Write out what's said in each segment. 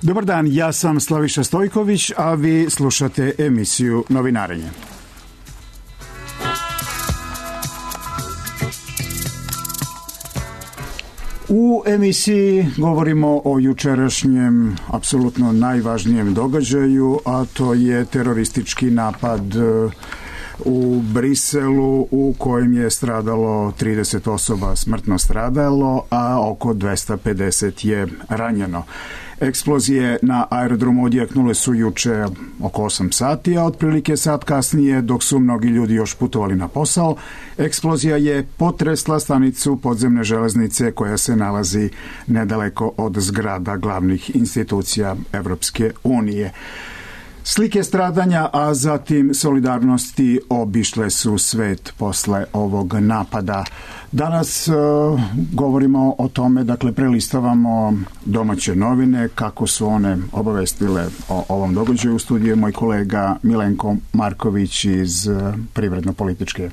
Dobar dan, ja sam Slaviša Stojković, a vi slušate emisiju Novinarenje. U emisiji govorimo o jučerašnjem, apsolutno najvažnijem događaju, a to je teroristički napad u Briselu u kojem je stradalo 30 osoba, smrtno stradalo, a oko 250 je ranjeno. Eksplozije na aerodromu odjeknule su juče oko 8 sati, a otprilike sat kasnije, dok su mnogi ljudi još putovali na posao, eksplozija je potresla stanicu podzemne železnice koja se nalazi nedaleko od zgrada glavnih institucija Evropske unije. Slike stradanja, a zatim solidarnosti obišle su svet posle ovog napada. Danas govorimo o tome, dakle prelistavamo domaće novine, kako su one obavestile o ovom događaju. U studiju je moj kolega Milenko Marković iz privredno-političke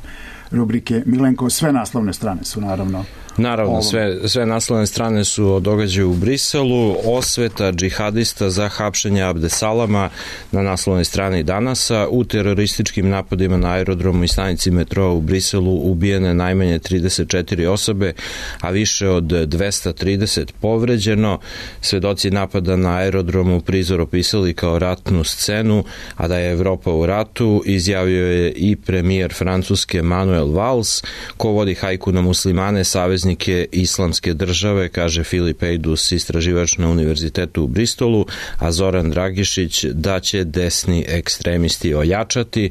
rubrike. Milenko, sve naslovne strane su naravno. Naravno, sve naslovne strane su o događaju u Briselu, osveta džihadista za hapšenje Abdesalama na naslovnoj strani Danasa. U terorističkim napadima na aerodromu i stanici metroa u Briselu ubijene najmanje 34 osobe, a više od 230 povređeno. Svedoci napada na aerodromu prizor opisali kao ratnu scenu, a da je Evropa u ratu izjavio je i premijer Francuske Manuel Valls, ko vodi hajku na muslimane, saveznike Islamske države, kaže Filip Ejdus, istraživač na Univerzitetu u Bristolu, a Zoran Dragišić da će desni ekstremisti ojačati.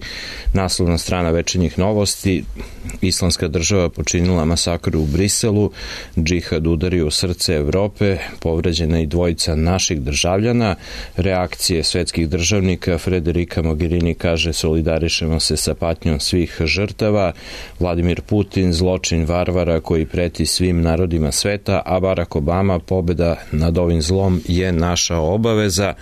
Naslovna strana Večernjih novosti: Islamska država počinila masakr u Briselu, džihad udario u srce Evrope, povređena i dvojica naših državljana. Reakcije svetskih državnika: Federica Mogherini kaže solidarišemo se sa patnjom svih žrtava. Vladimir Putin: zločin varvara koji preti svim narodima sveta, a Barack Obama: pobeda nad ovim zlom je naša obaveza.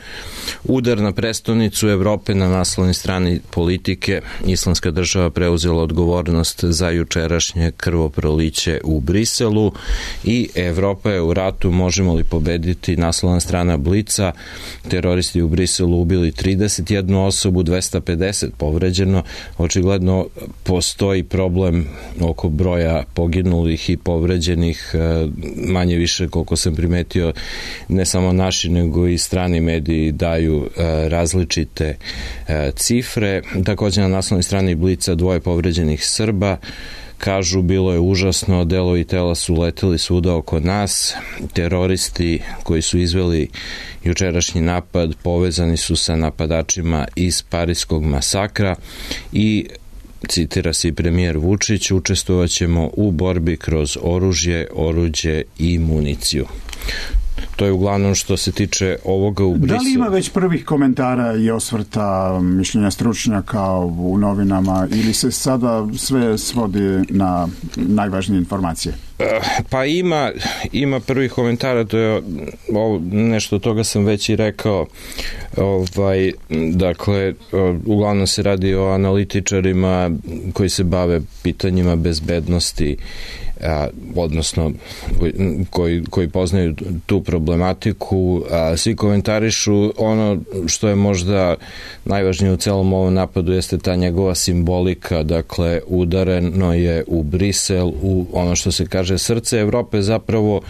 Udar na prestonicu Evrope na naslovnoj strani Politike: Islamska država preuzela odgovornost za jučerašnje krvoproliće u Briselu i Evropa je u ratu, možemo li pobediti? Naslovna strana Blica: teroristi u Briselu ubili 31 osobu, 250 povređeno. Očigledno postoji problem oko broja poginulih i povređenih, manje više koliko sam primetio, ne samo naši nego i strani mediji daju različite cifre. Također na naslovnoj strani Blica: dvoje povređenih Srba. Kažu, bilo je užasno, delovi tela su leteli svuda oko nas. Teroristi koji su izveli jučerašnji napad povezani su sa napadačima iz Pariskog masakra i citira se i premijer Vučić: učestvovat ćemo u borbi kroz oruđe i municiju. To je uglavnom što se tiče ovoga u Briselu. Da li ima već prvih komentara i osvrta, mišljenja stručnjaka u novinama, ili se sada sve svodi na najvažnije informacije? Pa ima prvih komentara, to je nešto toga sam već i rekao. Dakle, uglavnom se radi o analitičarima koji se bave pitanjima bezbednosti, odnosno koji poznaju tu problematiku. Svi komentarišu ono što je možda najvažnije u celom ovom napadu, jeste ta njegova simbolika. Dakle, udareno je u Brisel, u ono što se kaže srce Evrope, zapravo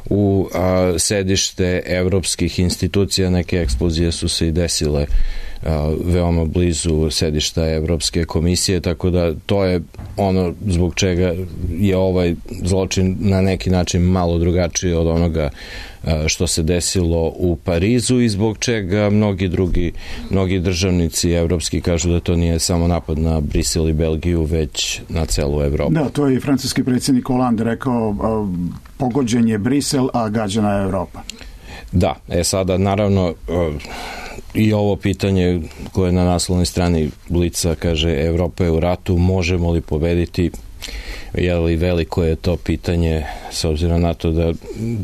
u sedište evropskih institucija. Neke eksplozije su se i desile veoma blizu sedišta Evropske komisije, tako da to je ono zbog čega je ovaj zločin na neki način malo drugačiji od onoga što se desilo u Parizu i zbog čega mnogi državnici evropski kažu da to nije samo napad na Brisel i Belgiju, već na celu Evropu. Da, to je i francuski predsjednik Hollande rekao: pogođen je Brisel, a gađana je Evropa. Da, sada naravno i ovo pitanje koje je na naslovnoj strani Blica, kaže Evropa je u ratu, možemo li pobediti? Veliko je to pitanje s obzirom na to da,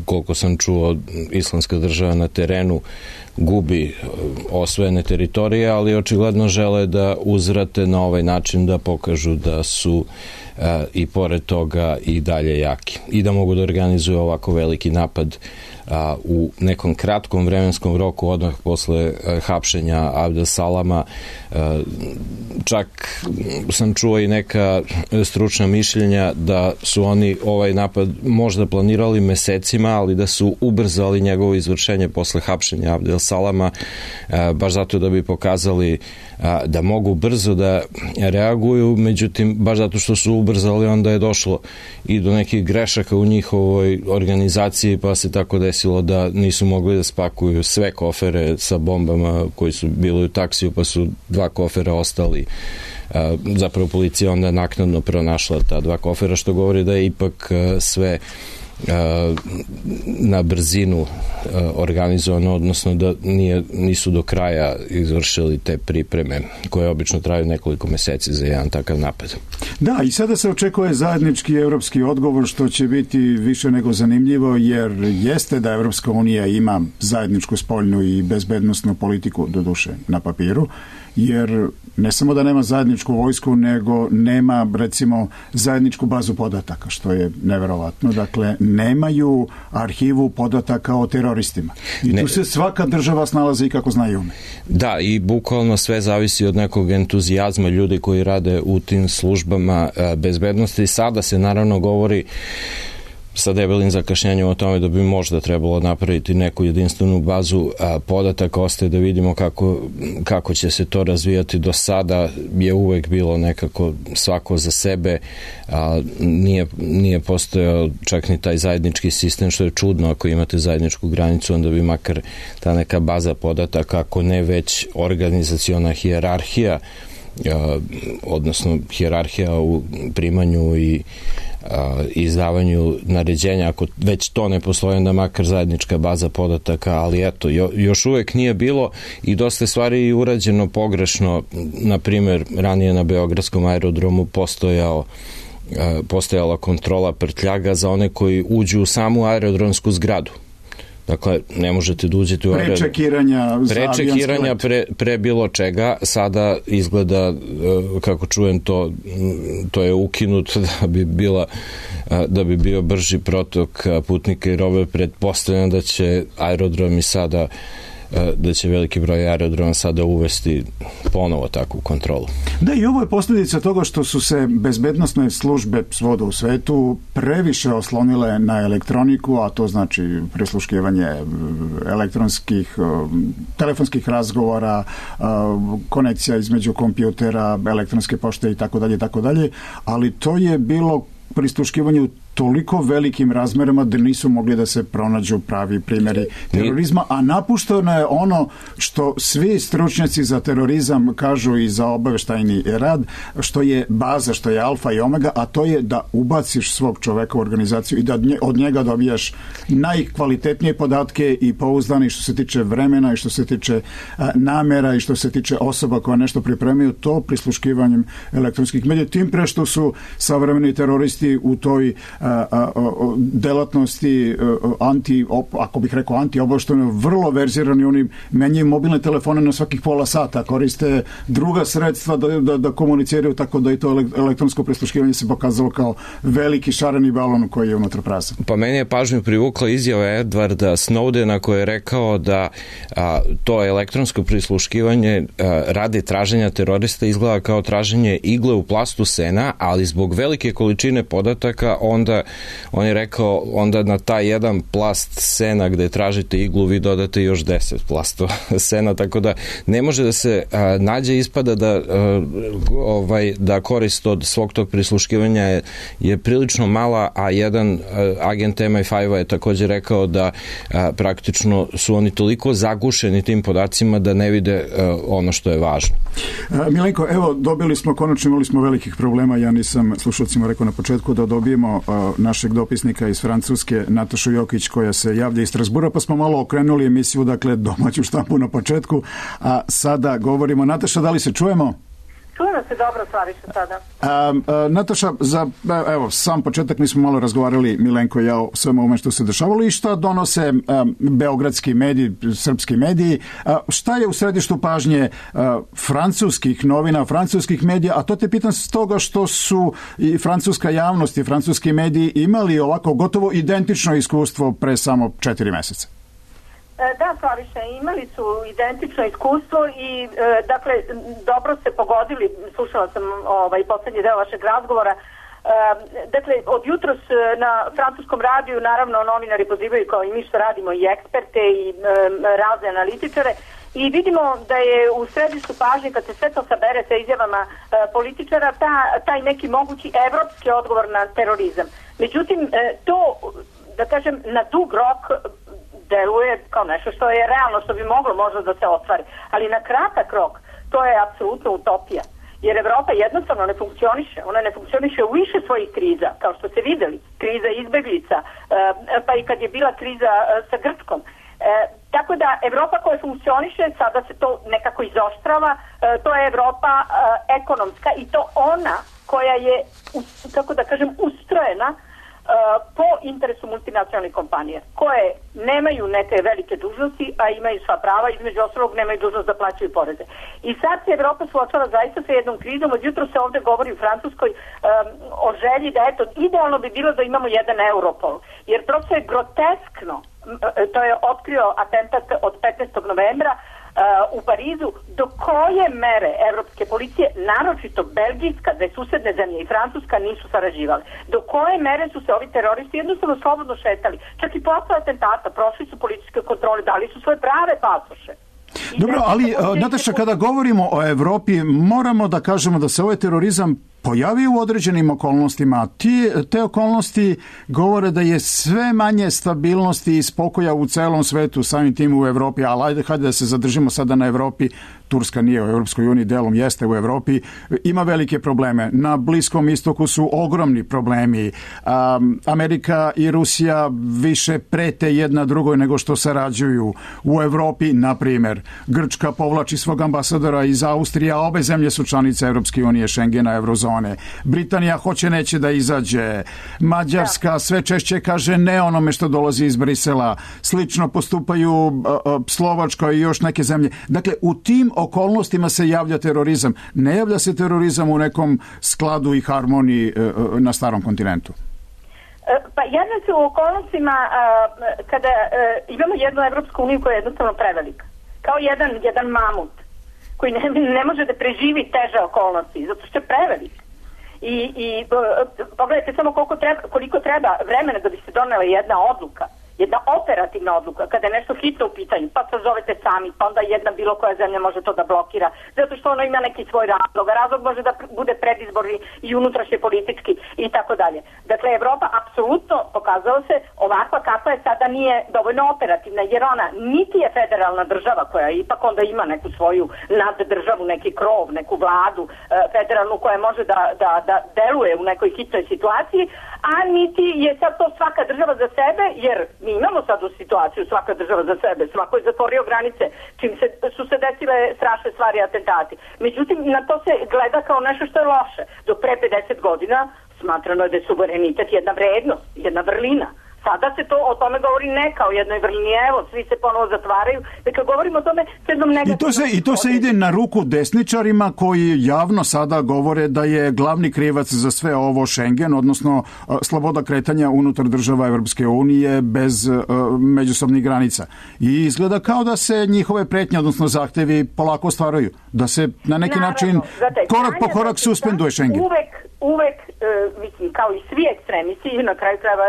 koliko sam čuo, Islamska država na terenu gubi osvojene teritorije, ali očigledno žele da uzvrate na ovaj način, da pokažu da su i pored toga i dalje jaki i da mogu da organizuju ovako veliki napad u nekom kratkom vremenskom roku odmah posle hapšenja Abdesalama. Čak sam čuo i neka stručna mišljenja da su oni ovaj napad možda planirali mesecima, ali da su ubrzali njegovo izvršenje posle hapšenja Abdesalama, baš zato da bi pokazali da mogu brzo da reaguju, međutim, baš zato što su ubrzali, onda je došlo i do nekih grešaka u njihovoj organizaciji, pa se tako desilo da nisu mogli da spakuju sve kofere sa bombama koji su bili u taksiju, pa su 2 kofera ostali. Zapravo policija onda naknadno pronašla ta 2 kofera, što govori da je ipak sve na brzinu organizovano, odnosno da nisu do kraja izvršili te pripreme koje obično traju nekoliko meseci za jedan takav napad. Da, i sada se očekuje zajednički evropski odgovor, što će biti više nego zanimljivo, jer jeste da Evropska unija ima zajedničku spoljnu i bezbednosnu politiku, doduše na papiru, jer ne samo da nema zajedničku vojsku, nego nema, recimo, zajedničku bazu podataka, što je neverovatno. Dakle, nemaju arhivu podataka o teroristima. I tu se svaka država snalazi i kako zna i ume. Da, i bukvalno sve zavisi od nekog entuzijazma ljudi koji rade u tim službama bezbednosti. Sada se naravno govori sa debelim zakašnjenjem o tome da bi možda trebalo napraviti neku jedinstvenu bazu podataka. Ostaje da vidimo kako će se to razvijati. Do sada je uvek bilo nekako svako za sebe, nije postojao čak ni taj zajednički sistem, što je čudno. Ako imate zajedničku granicu, onda bi makar ta neka baza podataka, ako ne već organizaciona hijerarhija, odnosno hijerarhija u primanju i izdavanju naređenja, ako već to ne postoji, onda makar zajednička baza podataka, ali eto, još uvek nije bilo i dosta stvari urađeno pogrešno. Na primjer, ranije na Beogradskom aerodromu postojala kontrola prtljaga za one koji uđu u samu aerodromsku zgradu. Dakle, ne možete da uđete u prečekiranja pre bilo čega. Sada izgleda, kako čujem, to je ukinuto da bi bio brži protok putnika i robe. Pretpostavljam da će aerodromi sada, da će veliki broj aerodroma sada uvesti ponovo takvu kontrolu. Da, i ovo je posljedica toga što su se bezbednosne službe svuda u svetu previše oslonile na elektroniku, a to znači prisluškivanje telefonskih razgovora, konekcija između kompjutera, elektronske pošte i tako dalje, ali to je bilo prisluškivanje u toliko velikim razmerama da nisu mogli da se pronađu pravi primjeri terorizma, a napušteno je ono što svi stručnjaci za terorizam kažu i za obaveštajni rad, što je baza, što je alfa i omega, a to je da ubaciš svog čoveka u organizaciju i da od njega dobijaš najkvalitetnije podatke i pouzdane što se tiče vremena i što se tiče namera i što se tiče osoba koja nešto pripremaju, to prisluškivanjem elektronskih medija, tim pre što su savremeni teroristi u toj delatnosti ako bih rekao anti-obaveštajno, vrlo verzirani. Oni menjaju mobilne telefone na svakih pola sata, koriste druga sredstva da komuniciraju, tako da i to elektronsko prisluškivanje se pokazalo kao veliki šareni balon koji je unutra prazan. Pa meni je pažnju privukla izjava Edwarda Snowdena koji je rekao da to elektronsko prisluškivanje radi traženja terorista izgleda kao traženje igle u plastu sena, ali zbog velike količine podataka on je rekao onda na taj jedan plast sena gde tražite iglu vi dodate još 10 plastova sena, tako da ne može da se nađe, ispada da korist od svog tog prisluškivanja je prilično mala, a jedan agent MI5 je također rekao da praktično su oni toliko zagušeni tim podacima da ne vide ono što je važno. Milenko, evo, konačno imali smo velikih problema, ja nisam slušalcima rekao na početku da dobijemo našeg dopisnika iz Francuske, Natašu Jokić, koja se javlja iz Strasbura, pa smo malo okrenuli emisiju, dakle, domaću štampu na početku, a sada govorimo. Nataša, da li se čujemo? Čujemo se dobro, Slaviša, sada. Nataša, evo, sam početak mi smo malo razgovarali, Milenko i ja, o svemu ovome što se dešavalo i šta donose beogradski mediji, srpski mediji. Šta je u središtu pažnje francuskih novina, francuskih medija, a to te pitam s toga što su i francuska javnost i francuski mediji imali ovako gotovo identično iskustvo pre samo 4 meseca. Da, Slaviša, imali su identično iskustvo i dakle, dobro ste pogodili, slušala sam poslednji deo vašeg razgovora. Dakle, od jutros na francuskom radiju, naravno, novinari pozivaju kao i mi što radimo i eksperte i razne analitičare i vidimo da je u središtu pažnje, kad se sve to sabere sa izjavama političara, taj neki mogući evropski odgovor na terorizam. Međutim, to, da kažem, na dug rok deluje kao nešto što je realno, što bi moglo možda da se ostvari. Ali na kratak rok to je apsolutno utopija. Jer Evropa jednostavno ne funkcioniše. Ona ne funkcioniše u više svojih kriza, kao što ste videli. Kriza izbeglica, pa i kad je bila kriza sa Grčkom. Tako da Evropa koja funkcioniše, sada se to nekako izoštrava, to je Evropa ekonomska i to ona koja je, kako da kažem, ustrojena po interesu multinacionalnih kompanija, koje nemaju neke velike dužnosti, a imaju sva prava, između ostalog nemaju dužnost da plaćaju poreze. I sad se Evropa suočava zaista sa jednom krizom, od jutro se ovde govori u Francuskoj o želji da, eto, idealno bi bilo da imamo jedan Europol, jer prosto je groteskno, to je otkrio atentat od 15. novembra, u Parizu, do koje mere evropske policije, naročito belgijska, da je susedne zemlje i Francuska, nisu sarađivale. Do koje mere su se ovi teroristi jednostavno slobodno šetali. Čak i posle atentata prošli su policijske kontrole, dali su svoje prave pasoše. Dobro, ali Nataša, kada govorimo o Evropi, moramo da kažemo da se ovaj terorizam pojavio u određenim okolnostima. Te okolnosti govore da je sve manje stabilnosti i spokoja u celom svetu, samim tim u Evropi, ali hajde da se zadržimo sada na Evropi. Turska nije u Evropskoj uniji, delom jeste u Evropi, ima velike probleme. Na Bliskom istoku su ogromni problemi. Amerika i Rusija više prete jedna drugoj nego što sarađuju. U Evropi, na primjer, Grčka povlači svog ambasadora iz Austrije, a obe zemlje su članice Evropske unije, Schengena, Eurozone. Britanija hoće neće da izađe. Mađarska sve češće kaže ne onome što dolazi iz Brisela. Slično postupaju Slovačka i još neke zemlje. Dakle, u tim okolnostima se javlja terorizam. Ne javlja se terorizam u nekom skladu i harmoniji na starom kontinentu. Pa javlja se u okolnostima kada imamo jednu Evropsku uniju koja je jednostavno prevelika. Kao jedan mamut koji ne može da preživi teže okolnosti, zato što je prevelik. I pogledajte samo koliko treba vremena da bi se donela jedna odluka. Jedna operativna odluka, kada je nešto hitno u pitanju, pa se zovete sami, pa onda jedna bilo koja zemlja može to da blokira, zato što ono ima neki svoj razlog. Razlog može da bude predizborni i unutrašnje politički i tako dalje. Dakle, Evropa apsolutno pokazala se ovakva kakva je sada nije dovoljno operativna, jer ona niti je federalna država koja ipak onda ima neku svoju naddržavu, neki krov, neku vladu federalnu koja može da deluje u nekoj hitnoj situaciji, a niti je sad to svaka država za sebe, jer mi imamo sad u situaciju svaka država za sebe, svako je zatvorio granice, čim su se desile strašne stvari, atentati. Međutim, na to se gleda kao nešto što je loše. Do pre 50 godina smatrano je da je suverenitet jedna vrednost, jedna vrlina. Sada se to o tome govori ne kao jednoj vrlini, evo, svi se ponovo zatvaraju. Dakle, govorimo o tome s jednom negativnom... I to se ide na ruku desničarima koji javno sada govore da je glavni krivac za sve ovo Schengen, odnosno sloboda kretanja unutar država Evropske unije bez međusobnih granica. I izgleda kao da se njihove pretnje, odnosno zahtevi polako ostvaraju. Da se na neki način korak po korak suspenduje Schengen. Uvek, mislim, kao i svi ekstremisti, na kraju krajeva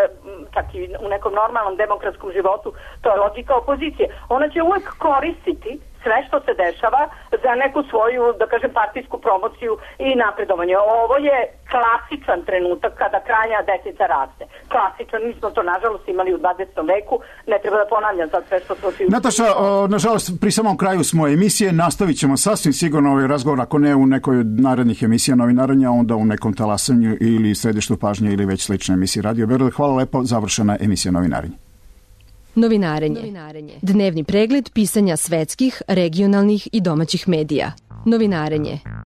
čak i u nekom normalnom demokratskom životu, to je logika opozicije. Ona će uvek koristiti sve što se dešava za neku svoju, da kažem, partijsku promociju i napredovanje. Ovo je klasičan trenutak kada krajnja desnica raste. Klasičan, mi smo to nažalost imali u 20. veku, ne treba da ponavljam sad sve što smo... Nataša, nažalost, pri samom kraju smo emisije, nastavit ćemo sasvim sigurno ovaj razgovor, ako ne u nekoj narednih emisija novinaranja, onda u nekom talasanju ili središtu pažnje ili već slične emisije Radio Beograd. Hvala lepo, završena emisija novinarenja. Novinarenje. Dnevni pregled pisanja svetskih, regionalnih i domaćih medija. Novinarenje.